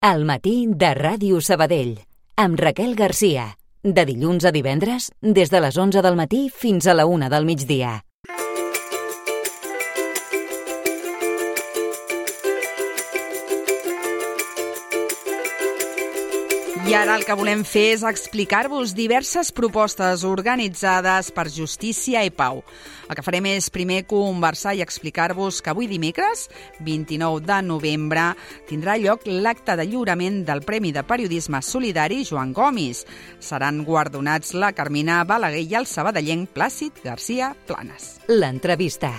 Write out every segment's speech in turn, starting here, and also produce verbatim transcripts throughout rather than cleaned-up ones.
Al matí de Ràdio Sabadell, amb Raquel Garcia. De dilluns a divendres, des de les onze del matí fins a la una del migdia. I ara el que volem fer és explicar-vos diverses propostes organitzades per Justícia i Pau. El que farem és primer conversar i explicar-vos que avui dimecres, vint-i-nou de novembre, tindrà lloc l'acte de lliurament del Premi de Periodisme Solidari Joan Gomis. Seran guardonats la Carmina Balaguer i el sabadellenc Plàcid Garcia Planas. L'entrevista.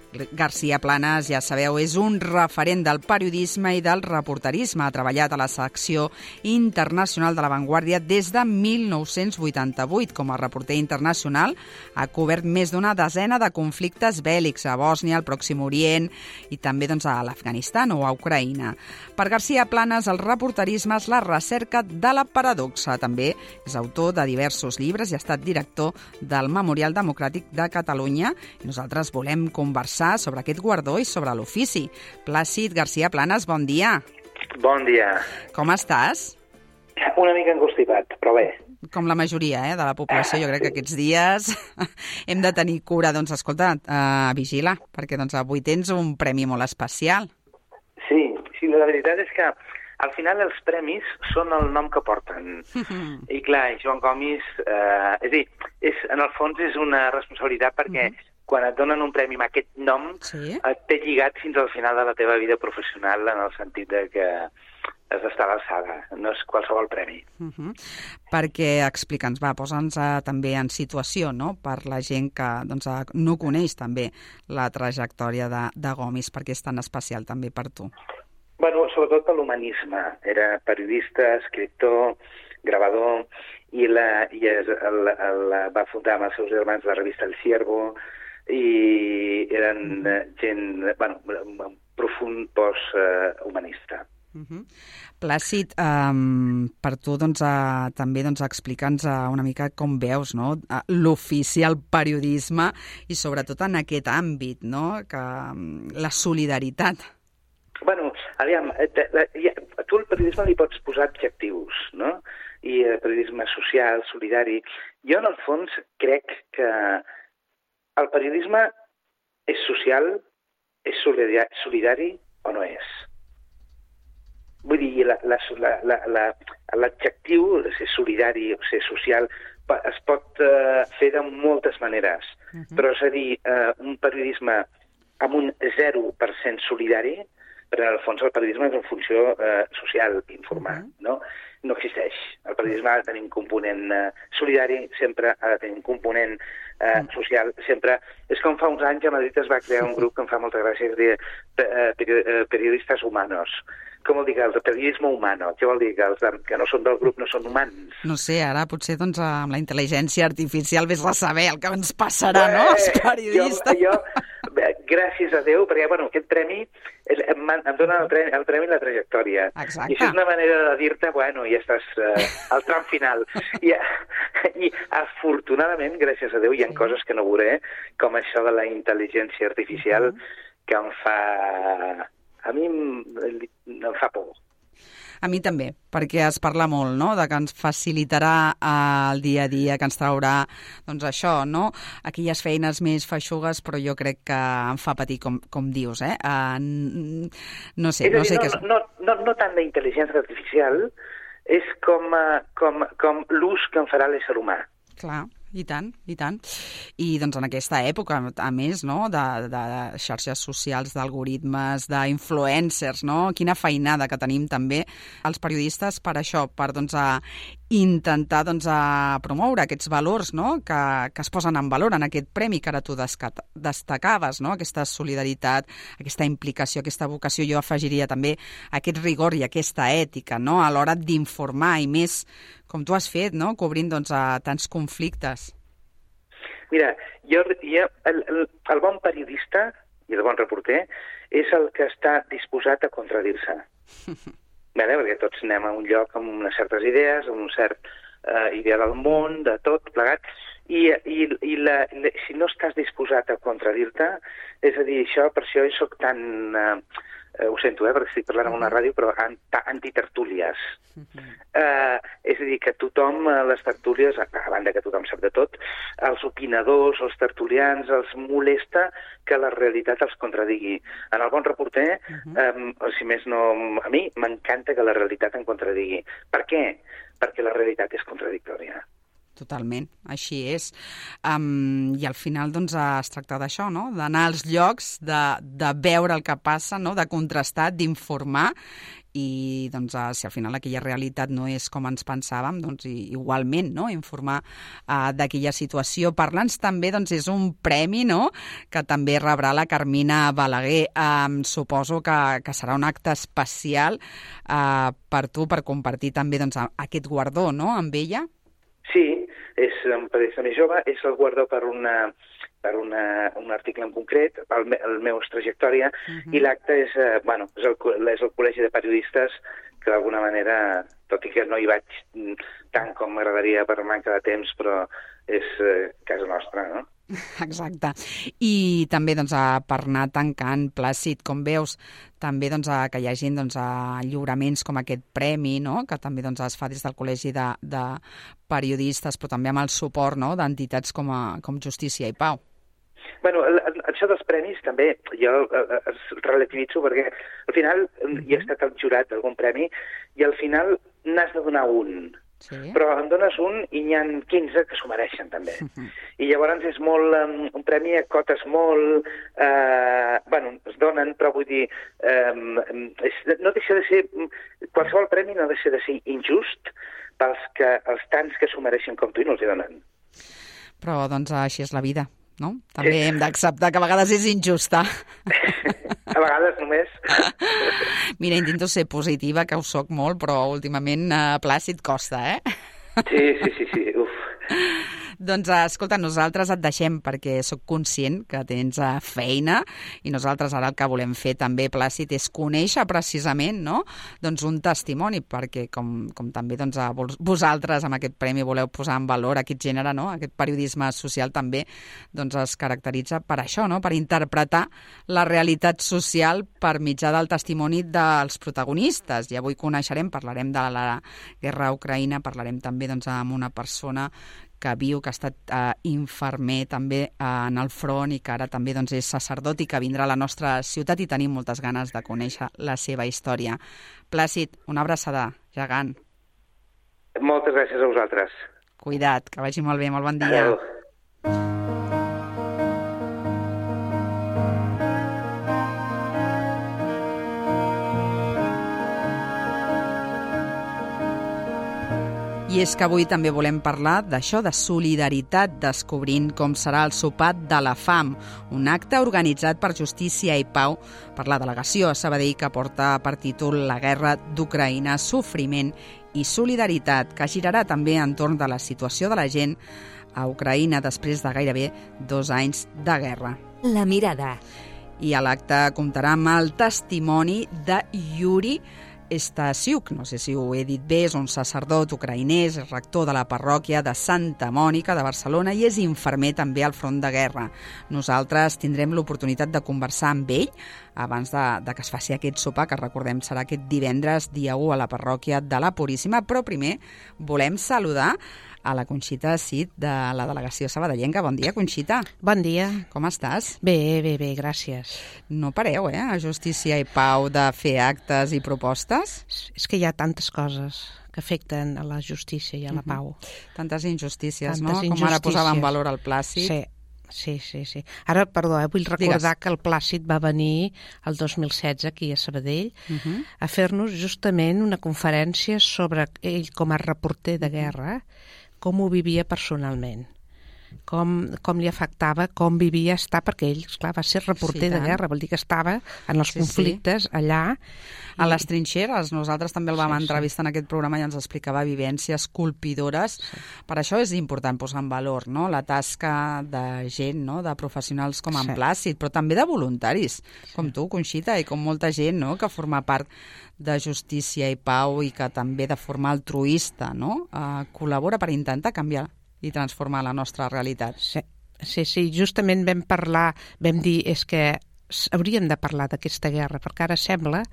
Garcia Planas, ja sabeu, és un referent del periodisme i del reporterisme. Ha treballat a la secció internacional de La Vanguardia des de mil nou-cents vuitanta-vuit. Com a reporter internacional ha cobert més d'una desena de conflictes bèl·lics a Bòsnia, al Pròxim Orient i també doncs, a l'Afganistan o a Ucraïna. Per Garcia Planas, el reporterisme és la recerca de la paradoxa. També és autor de diversos llibres i ha estat director del Memorial Democràtic de Catalunya. I nosaltres volem conversar sobre aquest guardó i sobre l'ofici. Plàcid Garcia Planas, bon dia. Bon dia. Com estàs? Una mica encostipat, però bé. Com la majoria eh, de la població, jo crec que aquests dies hem de tenir cura. Doncs escolta, uh, vigila, perquè doncs, avui tens un premi molt especial. Sí, sí, la veritat és que al final els premis són el nom que porten. I clar, Joan Gomis, eh, és a dir, és, en el fons és una responsabilitat perquè uh -huh. quan et donen un premi amb aquest nom, sí. et té lligat fins al final de la teva vida professional, en el sentit de que has d'estar a l'alçada, no és qualsevol premi. Uh -huh. Perquè, explica'ns, va, posa'ns uh, també en situació, no?, per la gent que doncs, uh, no coneix també la trajectòria de, de Gomis, perquè és tan especial també per tu. Bueno, sobretot per l'humanisme. Era periodista, escriptor, gravador, i, la, i es, el, el, va fundar amb els seus germans la revista El Ciervo, i eren uh, gent, bueno, un profund post-humanista. Uh, uh -huh. Plàcid, um, per tu doncs, uh, també doncs, explica'ns uh, una mica com veus no? uh, l'ofici, el periodisme i sobretot en aquest àmbit, no? que, um, la solidaritat. Bueno, aviam, tu al periodisme li pots posar adjectius, no? I el periodisme social, solidari. Jo, en el fons, crec que el periodisme és social, és solidari o no és? Vull dir, l'adjectiu de ser solidari o ser social es pot uh, fer de moltes maneres, uh -huh. però és a dir, uh, un periodisme amb un zero per cent solidari, però en el fons el periodisme és una funció uh, social, informar, uh -huh. no? No existeix. El periodisme ha de tenir un component uh, solidari, sempre ha de tenir un component uh, uh. social, sempre. És com fa uns anys a Madrid es va crear un grup que em fa molta gràcia, es diu uh, Periodistes Humanos. Com vol dir que el periodisme humano? Què vol dir? Que els que no són del grup no són humans? No sé, ara potser doncs, amb la intel·ligència artificial vés a saber el que ens passarà, Bé, no, els periodistes. Jo, jo, gràcies a Déu, perquè bueno, aquest premi em, em dona el premi, el premi la trajectòria. Exacte. I això és una manera de dir-te, bueno, ja estàs eh, al tram final. I, I afortunadament, gràcies a Déu, hi ha sí. coses que no veuré, com això de la intel·ligència artificial, uh -huh. que em fa... A mi em, em fa por. A mi també, perquè es parla molt, no?, de que ens facilitarà el dia a dia, que ens traurà, doncs això, no?, aquelles feines més feixugues, però jo crec que em fa patir, com, com dius, eh? Uh, no sé, és no dir, sé no, què és... No, no, no tant d'intel·ligència artificial, és com, com, com l'ús que en farà l'ésser humà. Clar. I tant, i tant. I doncs en aquesta època, a més, no?, de, de xarxes socials, d'algoritmes, d'influencers, no?, quina feinada que tenim també els periodistes per això, per doncs, a intentar doncs, a promoure aquests valors, no?, que, que es posen en valor en aquest premi que ara tu destacaves, no?, aquesta solidaritat, aquesta implicació, aquesta vocació. Jo afegiria també aquest rigor i aquesta ètica, no?, a l'hora d'informar, i més com tu has fet, no?, cobrint doncs, a tants conflictes. Mira, jo, jo el, el, el bon periodista i el bon reporter és el que està disposat a contradir-se. Vale? Perquè tots anem a un lloc amb unes certes idees, amb un cert uh, idea del món, de tot plegat, i, i, i la, la, si no estàs disposat a contradir-te, és a dir, això per això jo soc tan... Uh, eh, ho sento, eh, perquè estic parlant en una ràdio, però antitertúlies. Uh-huh. Eh, és a dir, que tothom, les tertúlies, a banda que tothom sap de tot, els opinadors, els tertulians, els molesta que la realitat els contradigui. En el bon reporter, uh-huh. eh, si més no, a mi m'encanta que la realitat em contradigui. Per què? Perquè la realitat és contradictòria. Totalment, així és. Um, I al final doncs, es tracta d'això, no? D'anar als llocs, de, de veure el que passa, no? De contrastar, d'informar, i doncs, si al final aquella realitat no és com ens pensàvem, doncs igualment, no? Informar uh, d'aquella situació. Parla'ns també, doncs, és un premi, no?, que també rebrà la Carmina Balaguer. Um, suposo que, que serà un acte especial uh, per tu, per compartir també doncs, aquest guardó, no?, amb ella. Sí, és un periodista més jove, és el guardó per una... per una, un article en concret, el, el meu trajectòria, uh-huh. i l'acte és, eh, bueno, és, el, és el Col·legi de Periodistes, que d'alguna manera, tot i que no hi vaig tant com m'agradaria per manca de temps, però és eh, casa nostra, no? Exacte. I també doncs, per anar tancant, Plàcid, com veus, també doncs, que hi hagi doncs, lliuraments com aquest premi, no?, que també doncs, es fa des del Col·legi de, de Periodistes, però també amb el suport, no?, d'entitats com, a, com Justícia i Pau. Bueno, això dels premis també jo es relativitzo perquè al final uh-huh. hi ha estat el jurat d'algun premi i al final n'has de donar un. Sí. Però en dones un i n'hi ha quinze que s'ho mereixen també. Uh-huh. I llavors és molt, um, un premi a cotes molt... Eh, bueno, es donen, però vull dir... Eh, és, no deixa de ser... Qualsevol premi no deixa de ser injust pels que, els tants que s'ho mereixen com tu i no els hi donen. Però doncs així és la vida, no? També sí. Hem d'acceptar que a vegades és injusta. A vegades només. Mira, intento ser positiva, que ho soc molt, però últimament eh, Plàcid costa, eh? Sí, sí, sí, sí. Uf. Doncs, escolta, nosaltres et deixem perquè sóc conscient que tens feina i nosaltres ara el que volem fer també, Plàcid, és conèixer precisament, no?, doncs un testimoni, perquè com, com també doncs, vosaltres amb aquest premi voleu posar en valor aquest gènere, no?, aquest periodisme social també doncs, es caracteritza per això, no?, per interpretar la realitat social per mitjà del testimoni dels protagonistes. I avui coneixerem, parlarem de la guerra a Ucraïna, parlarem també doncs, amb una persona que viu, que ha estat eh, infermer també eh, en el front i que ara també doncs, és sacerdot i que vindrà a la nostra ciutat i tenim moltes ganes de conèixer la seva història. Plàcid, una abraçada gegant. Moltes gràcies a vosaltres. Cuida't, que vagi molt bé, molt bon dia. Adéu. I és que avui també volem parlar d'això, de solidaritat, descobrint com serà el sopar de la fam, un acte organitzat per Justícia i Pau per la delegació a Sabadell que porta per títol La guerra d'Ucraïna, sofriment i solidaritat, que girarà també entorn de la situació de la gent a Ucraïna després de gairebé dos anys de guerra. La mirada. I a l'acte comptarà amb el testimoni de Yuri Stasiuk, no sé si ho he dit bé, és un sacerdot ucraïnès, és rector de la parròquia de Santa Mònica de Barcelona i és infermer també al front de guerra. Nosaltres tindrem l'oportunitat de conversar amb ell abans de, de que es faci aquest sopar, que recordem serà aquest divendres, dia u, a la parròquia de la Puríssima, però primer volem saludar a la Conxita Cid de la delegació sabadellenca. Bon dia, Conxita. Bon dia. Com estàs? Bé, bé, bé, gràcies. No pareu, eh, a Justícia i Pau de fer actes i propostes? És que hi ha tantes coses que afecten a la justícia i a la pau. Uh-huh. Tantes injustícies, tantes no? Injustícies. Com ara posava en valor el Plàcid. Sí. Sí, sí, sí. Ara, perdó, eh, vull recordar Digues. que el Plàcid va venir el dos mil setze aquí a Sabadell uh-huh. a fer-nos justament una conferència sobre ell com a reporter de guerra, com ho vivia personalment, com, com li afectava, com vivia estar, perquè ell, esclar, va ser reporter sí, de guerra, vol dir que estava en els sí, conflictes sí. allà. A les trinxeres, nosaltres també el vam sí, entrevistar sí. en aquest programa i ens explicava vivències colpidores. Sí. Per això és important posar en valor, no?, la tasca de gent, no?, de professionals com en sí. Plàcid, però també de voluntaris, sí. com tu, Conxita, i com molta gent, no?, que forma part de Justícia i Pau i que també de forma altruista, no?, eh, col·labora per intentar canviar i transformar la nostra realitat. Sí, sí, sí, justament vam parlar, vam dir, és que hauríem de parlar d'aquesta guerra, perquè ara sembla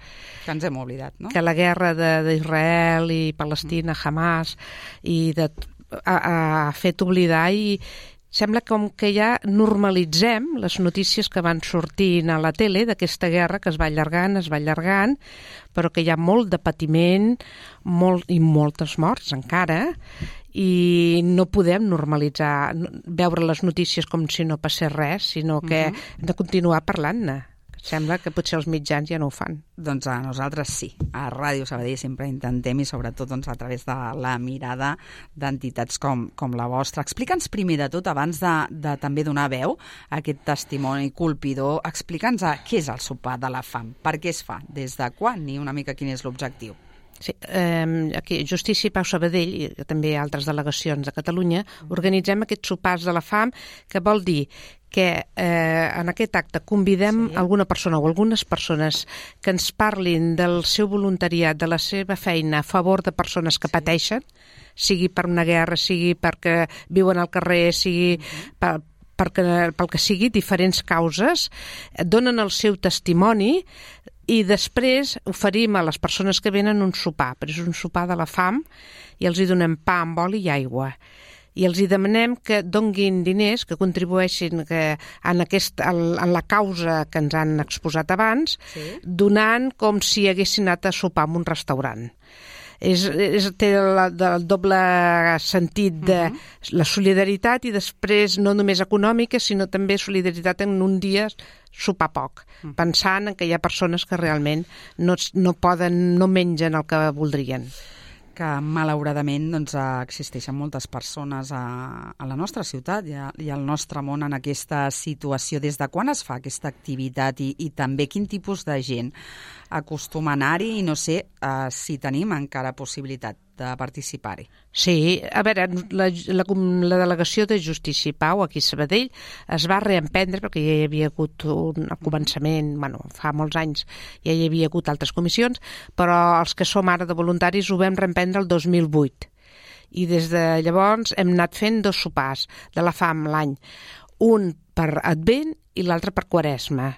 que ens hem oblidat, no? Que la guerra d'Israel i Palestina, Hamas, i de, ha, ha fet oblidar, i sembla com que ja normalitzem les notícies que van sortint a la tele d'aquesta guerra que es va allargant, es va allargant, però que hi ha molt de patiment molt, i moltes morts encara, i no podem normalitzar, veure les notícies com si no passés res, sinó que uh-huh. hem de continuar parlant-ne. Sembla que potser els mitjans ja no ho fan. Doncs a nosaltres sí. A Ràdio Sabadell sempre intentem, i sobretot doncs, a través de la mirada d'entitats com, com la vostra. Explica'ns primer de tot, abans de, de també donar veu a aquest testimoni colpidor, explica'ns què és el sopar de la fam, per què es fa, des de quan i una mica quin és l'objectiu. Sí, eh, aquí Justícia i Pau Sabadell, i també altres delegacions de Catalunya, organitzem aquests sopars de la fam, que vol dir que eh, en aquest acte convidem sí. alguna persona o algunes persones que ens parlin del seu voluntariat, de la seva feina a favor de persones que sí. pateixen, sigui per una guerra, sigui perquè viuen al carrer, sigui uh-huh. per, perquè, pel que sigui, diferents causes, donen el seu testimoni i després oferim a les persones que venen un sopar, però és un sopar de la fam, i els hi donem pa amb oli i aigua. I els hi demanem que donguin diners, que contribueixin que en, aquest, en la causa que ens han exposat abans, sí. donant com si haguessin anat a sopar en un restaurant. És, és, té el, el doble sentit de uh-huh. la solidaritat, i després no només econòmica, sinó també solidaritat en un dia sopar poc, uh-huh. pensant en que hi ha persones que realment no, no poden, no mengen el que voldrien. Que malauradament doncs, existeixen moltes persones a, a la nostra ciutat i, a, i al nostre món en aquesta situació. Des de quan es fa aquesta activitat i, i també quin tipus de gent acostuma a anar-hi, i no sé uh, si tenim encara possibilitat de participar-hi? Sí, a veure, la, la, la delegació de Justícia i Pau aquí a Sabadell es va reemprendre perquè ja hi havia hagut un començament, bueno, fa molts anys ja hi havia hagut altres comissions, però els que som ara de voluntaris ho vam reemprendre el dos mil vuit. I des de llavors hem anat fent dos sopars de la fam l'any, un per Advent i l'altre per Quaresma.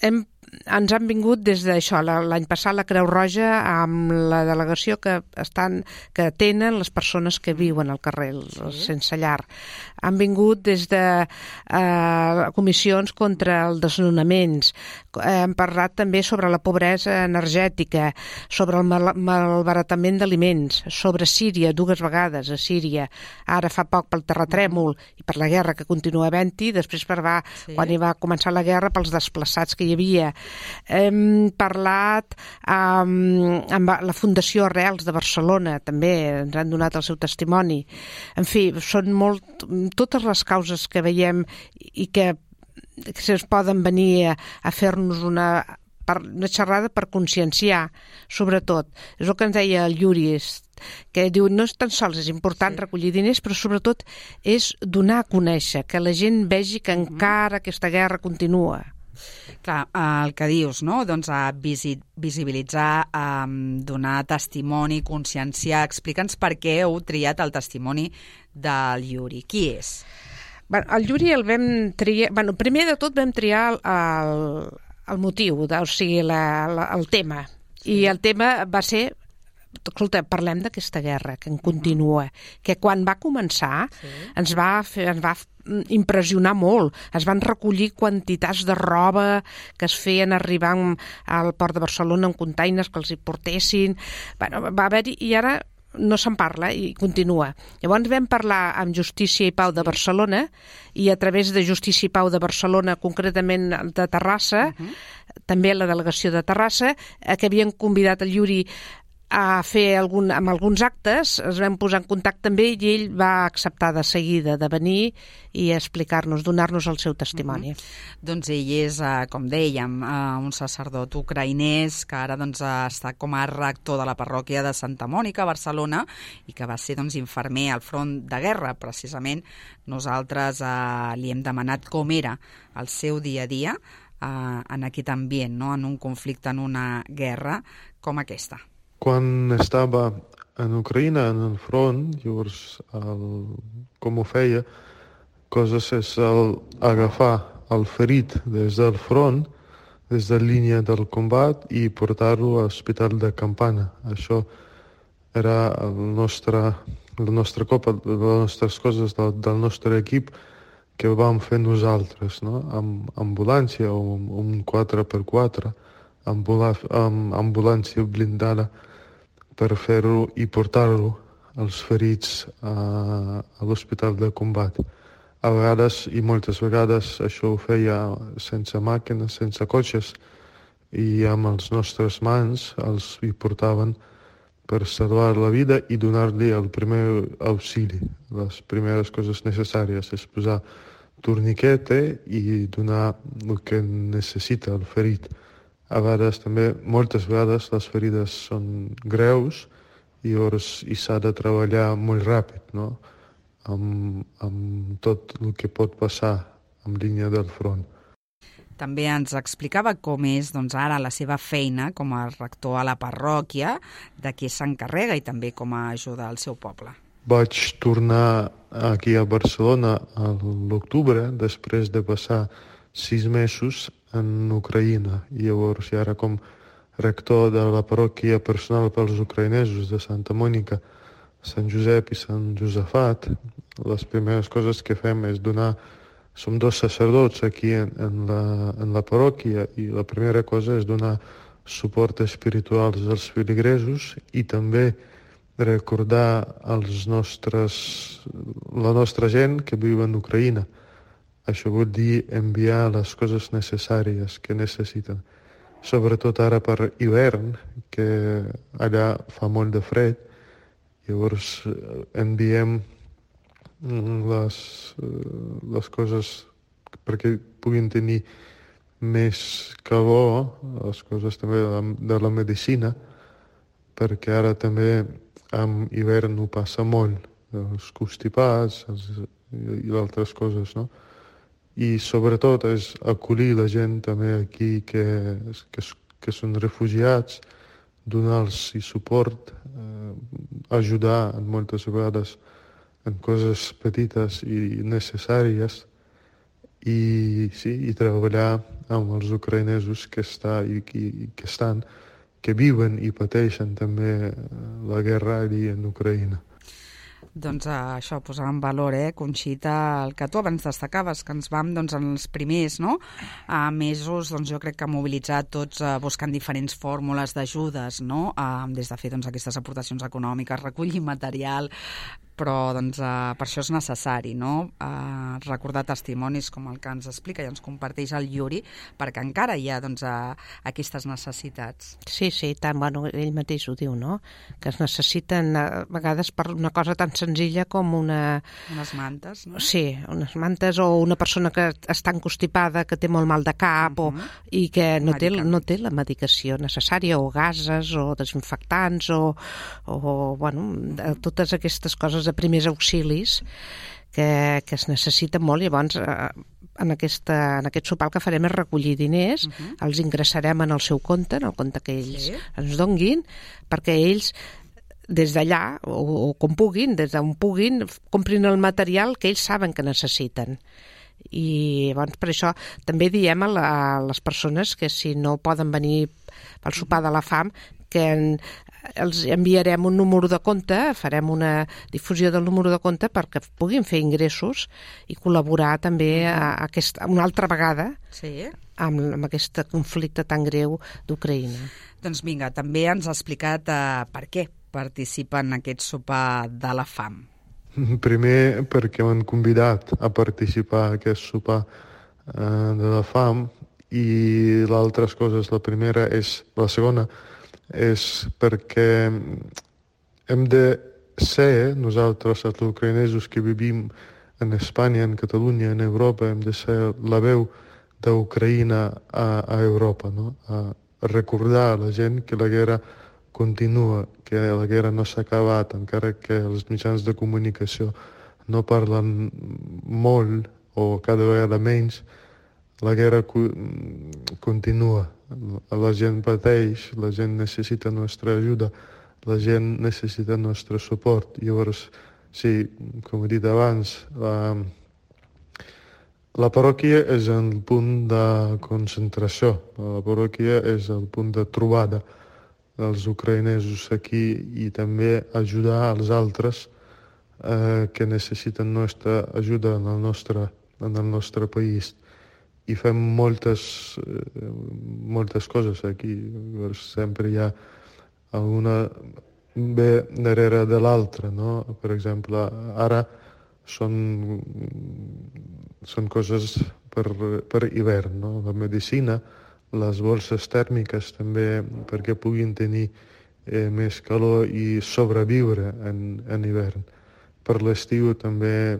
Hem ens han vingut des d'això, l'any passat la Creu Roja amb la delegació que estan que atenen les persones que viuen al carrer, sí. sense llar. Han vingut des de eh, comissions contra els desnonaments, hem parlat també sobre la pobresa energètica, sobre el mal malbaratament d'aliments, sobre Síria, dues vegades a Síria, ara fa poc pel terratrèmol i per la guerra que continua havent-hi, després per va, sí. quan hi va començar la guerra, pels desplaçats que hi havia. Hem parlat amb, amb la Fundació Arrels de Barcelona, també ens han donat el seu testimoni. En fi, són molt, totes les causes que veiem i que, que se'ns poden venir a, a fer-nos una, per, una xerrada per conscienciar, sobretot. És el que ens deia el Yuri, que diu, no és tan sols és important sí. recollir diners, però sobretot és donar a conèixer, que la gent vegi que encara aquesta guerra continua. Clar, el que dius, no? Doncs a visibilitzar, a donar testimoni, conscienciar. Explica'ns per què heu triat el testimoni del Yuri. Qui és? Bueno, el Yuri el vam triar... Bueno, primer de tot vam triar el, el, el motiu, o sigui, la, la, el tema. Sí. I el tema va ser... Escolta, parlem d'aquesta guerra que en continua, que quan va començar sí. ens va fer, ens va impressionar molt. Es van recollir quantitats de roba que es feien arribar al port de Barcelona en containers que els hi portessin. Bueno, va haver-hi, i ara no se'n parla i continua. Llavors vam parlar amb Justícia i Pau de Barcelona, i a través de Justícia i Pau de Barcelona, concretament de Terrassa, uh-huh. també la delegació de Terrassa, que havien convidat el Yuri a fer algun, amb alguns actes, es vam posar en contacte amb ell i ell va acceptar de seguida de venir i explicar-nos, donar-nos el seu testimoni. Mm-hmm. Doncs ell és, com dèiem, un sacerdot ucraïnès que ara doncs, està com a rector de la parròquia de Santa Mònica, a Barcelona, i que va ser doncs, infermer al front de guerra. Precisament nosaltres eh, li hem demanat com era el seu dia a dia eh, en aquest ambient, no? En un conflicte, en una guerra com aquesta. Quan estava en Ucraïna, en el front, llavors, el, com ho feia, coses és el agafar el ferit des del front, des de línia del combat, i portar-lo a l'hospital de campana. Això era el nostre, la nostra copa, les nostres coses del, del nostre equip que vam fer nosaltres, no? Amb ambulància o amb un quatre per quatre, ambula, amb ambulància blindada per fer-ho i portar-lo als ferits a, a l'hospital de combat. A vegades, i moltes vegades, això ho feia sense màquines, sense cotxes, i amb les nostres mans els hi portaven per salvar la vida i donar-li el primer auxili, les primeres coses necessàries, és posar torniquete i donar el que necessita el ferit. A vegades també, moltes vegades, les ferides són greus i llavors hi s'ha de treballar molt ràpid, no? Amb, amb tot el que pot passar en línia del front. També ens explicava com és doncs, ara la seva feina com a rector a la parròquia, de què s'encarrega i també com a ajuda al seu poble. Vaig tornar aquí a Barcelona a l'octubre, després de passar sis mesos en Ucraïna. I llavors, ara com rector de la parròquia personal pels ucraïnesos de Santa Mònica, Sant Josep i Sant Josafat, les primeres coses que fem és donar... Som dos sacerdots aquí en, en, la, en la parròquia i la primera cosa és donar suport espiritual als feligresos i també recordar als nostres, la nostra gent que viu en Ucraïna. Això vol dir enviar les coses necessàries que necessiten. Sobretot ara per hivern, que allà fa molt de fred. Llavors enviem les, les coses perquè puguin tenir més calor, les coses també de la, de la medicina, perquè ara també amb hivern ho passa molt, els constipats els, i altres coses, no? I sobretot és acollir la gent també aquí que, que, que són refugiats, donar-los suport, eh, ajudar en moltes vegades en coses petites i necessàries i, sí, i treballar amb els ucraïnesos que, està, i, i, que estan, que viuen i pateixen també la guerra allí en Ucraïna. Doncs uh, això, posar en valor, eh, Conxita, el que tu abans destacaves, que ens vam doncs, en els primers no? uh, mesos, doncs, jo crec que mobilitzar tots uh, buscant diferents fórmules d'ajudes, no? uh, des de fer doncs, aquestes aportacions econòmiques, recollir material, però doncs, uh, per això és necessari, no? uh, recordar testimonis com el que ens explica i ens comparteix el Yuri, perquè encara hi ha doncs, uh, aquestes necessitats. Sí, sí, tant, bueno, ell mateix ho diu, no? Que es necessiten a vegades per una cosa tan senzilla com una... Unes mantes, no? Sí, unes mantes o una persona que està encostipada, que té molt mal de cap uh-huh. o, i que no té, no té la medicació necessària, o gases, o desinfectants, o, o bueno, totes aquestes coses de primers auxilis que, que es necessiten molt. Llavors, eh, en, aquesta, en aquest sopar el que farem és recollir diners, uh-huh. els ingressarem en el seu compte, en el compte que ells sí. ens donguin, perquè ells des d'allà, o, o com puguin, des d'on puguin, comprin el material que ells saben que necessiten. I llavors per això també diem a, la, a les persones que si no poden venir al sopar de la fam, que en, els enviarem un número de compte, farem una difusió del número de compte perquè puguin fer ingressos i col·laborar també a, a aquest, una altra vegada sí. amb, amb aquest conflicte tan greu d'Ucraïna. Doncs vinga, també ens ha explicat uh, per què participa en aquest sopar de la fam. Primer perquè m'han convidat a participar en aquest sopar uh, de la fam i l'altra cosa, la primera és, la segona és perquè hem de ser, nosaltres, els ucraïnesos que vivim en Espanya, en Catalunya, en Europa, hem de ser la veu d'Ucraïna a, a Europa, no? A recordar a la gent que la guerra continua, que la guerra no s'ha acabat, encara que els mitjans de comunicació no parlen molt o cada vegada menys, la guerra continua. La gent pateix, la gent necessita nostra ajuda, la gent necessita nostre suport. Llavors, sí, com he dit abans, la, La parròquia és el punt de concentració, la parròquia és el punt de trobada dels ucraïnesos aquí i també ajudar els altres eh, que necessiten nostra ajuda en el nostre, en el nostre país. I fem moltes, eh, moltes coses aquí. Sempre hi ha alguna bé darrere de l'altra, no? Per exemple, ara són, són coses per, per hivern, no? La medicina, les bolses tèrmiques també perquè puguin tenir eh, més calor i sobreviure en, en hivern. Per l'estiu també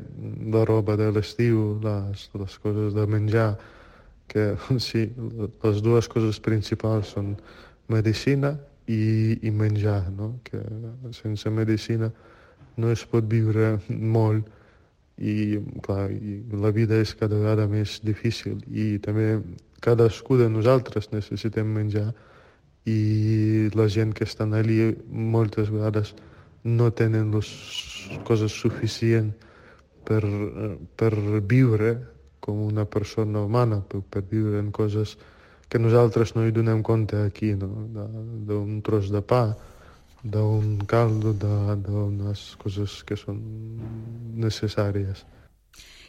la roba de l'estiu, les, les coses de menjar, que sí, les dues coses principals són medicina i, i menjar, no? Que sense medicina no es pot viure molt i, clar, i la vida és cada vegada més difícil i també cadascú de nosaltres necessitem menjar i la gent que estan allí moltes vegades no tenen les coses suficients per, per viure com una persona humana, per, per viure en coses que nosaltres no hi donem compte aquí, no? D'un tros de pa, d'un caldo, d'unes coses que són necessàries.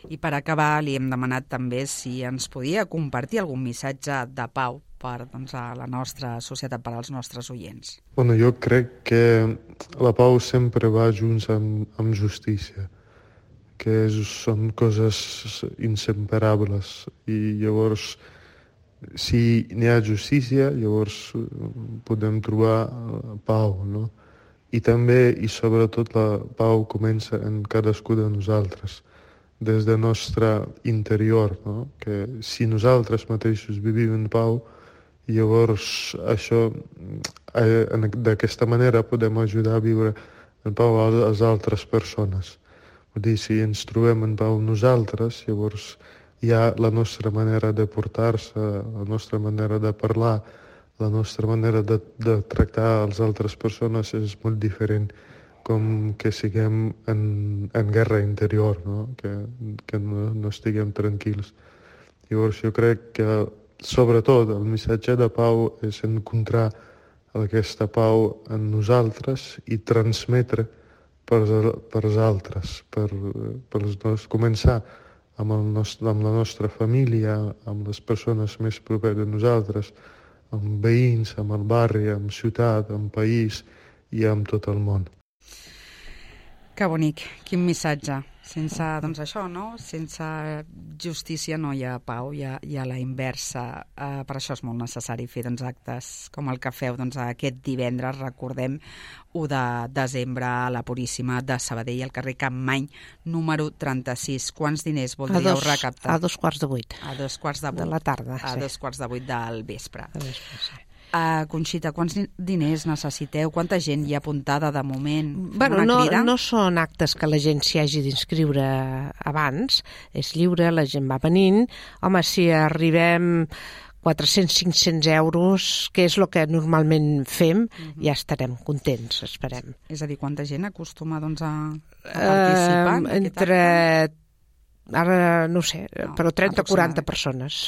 I per acabar li hem demanat també si ens podia compartir algun missatge de pau per doncs, a la nostra societat, per als nostres oients. Bueno, jo crec que la pau sempre va junts amb, amb justícia, que és, són coses inseparables i llavors si n'hi ha justícia llavors podem trobar pau, no? I també i sobretot la pau comença en cadascú de nosaltres, des del nostre interior, no? Que si nosaltres mateixos vivim en pau, llavors això eh, d'aquesta manera podem ajudar a viure en pau a les altres persones. Vull dir, si ens trobem en pau nosaltres, llavors hi ha la nostra manera de portar-se, la nostra manera de parlar, la nostra manera de, de tractar les altres persones és molt diferent com que siguem en, en guerra interior, no? Que, que no, no estiguem tranquils. Llavors jo crec que sobretot el missatge de pau és encontrar aquesta pau en nosaltres i transmetre per, per als altres, per, per els, començar amb, el nostre, amb la nostra família, amb les persones més properes a nosaltres, amb veïns, amb el barri, amb ciutat, amb país i amb tot el món. Que bonic, quin missatge. Sense, doncs això, no? Sense justícia no hi ha pau, hi ha, hi ha la inversa. Uh, per això és molt necessari fer doncs, actes com el que feu doncs, aquest divendres, recordem, u de desembre, a la Puríssima de Sabadell, al carrer Campmany, número trenta-sis. Quants diners voldríeu recaptar? A dos quarts de vuit. A dos quarts de vuit. De la tarda, a sí. A dos quarts de vuit del vespre. De vespre, sí. Uh, Conxita, quants diners necessiteu? Quanta gent hi ha apuntada de moment? Bueno, no, no són actes que la gent s'hi hagi d'inscriure abans, és lliure, la gent va venint. Home, si arribem quatre-cents a cinc-cents euros, que és el que normalment fem, uh-huh. ja estarem contents, esperem. És a dir, quanta gent acostuma doncs, a, a participar? Uh, entre... Ara no ho sé, no, però trenta o quaranta persones.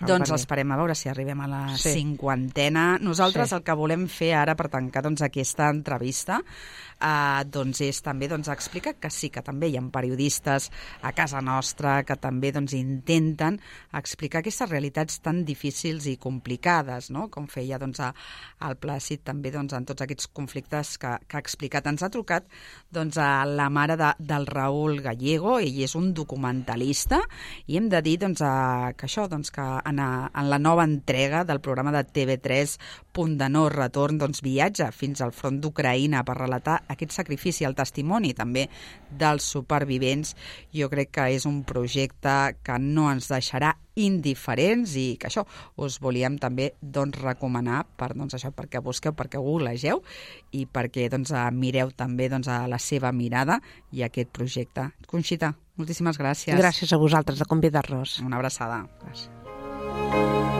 Doncs esperem a veure si arribem a la sí. cinquantena. Nosaltres sí. el que volem fer ara per tancar doncs, aquesta entrevista eh, doncs és també doncs, explicar que sí, que també hi ha periodistes a casa nostra que també doncs, intenten explicar aquestes realitats tan difícils i complicades, no? Com feia doncs, a, al Plàcid també doncs, en tots aquests conflictes que, que ha explicat. Ens ha trucat doncs, a la mare de, del Raúl Gallego, ell és un documentalista i hem de dir doncs, a, que això, doncs, que en, a, en la nova entrega del programa de T V tres Punt de no retorn doncs, viatja fins al front d'Ucraïna per relatar aquest sacrifici, el testimoni també dels supervivents. Jo crec que és un projecte que no ens deixarà indiferents i que això us volíem també doncs, recomanar per, doncs, això, perquè busqueu, perquè googlegeu i perquè doncs, mireu també doncs, a la seva mirada i aquest projecte. Conxita, moltíssimes gràcies. Gràcies a vosaltres de convidar-nos. Una abraçada. Gràcies.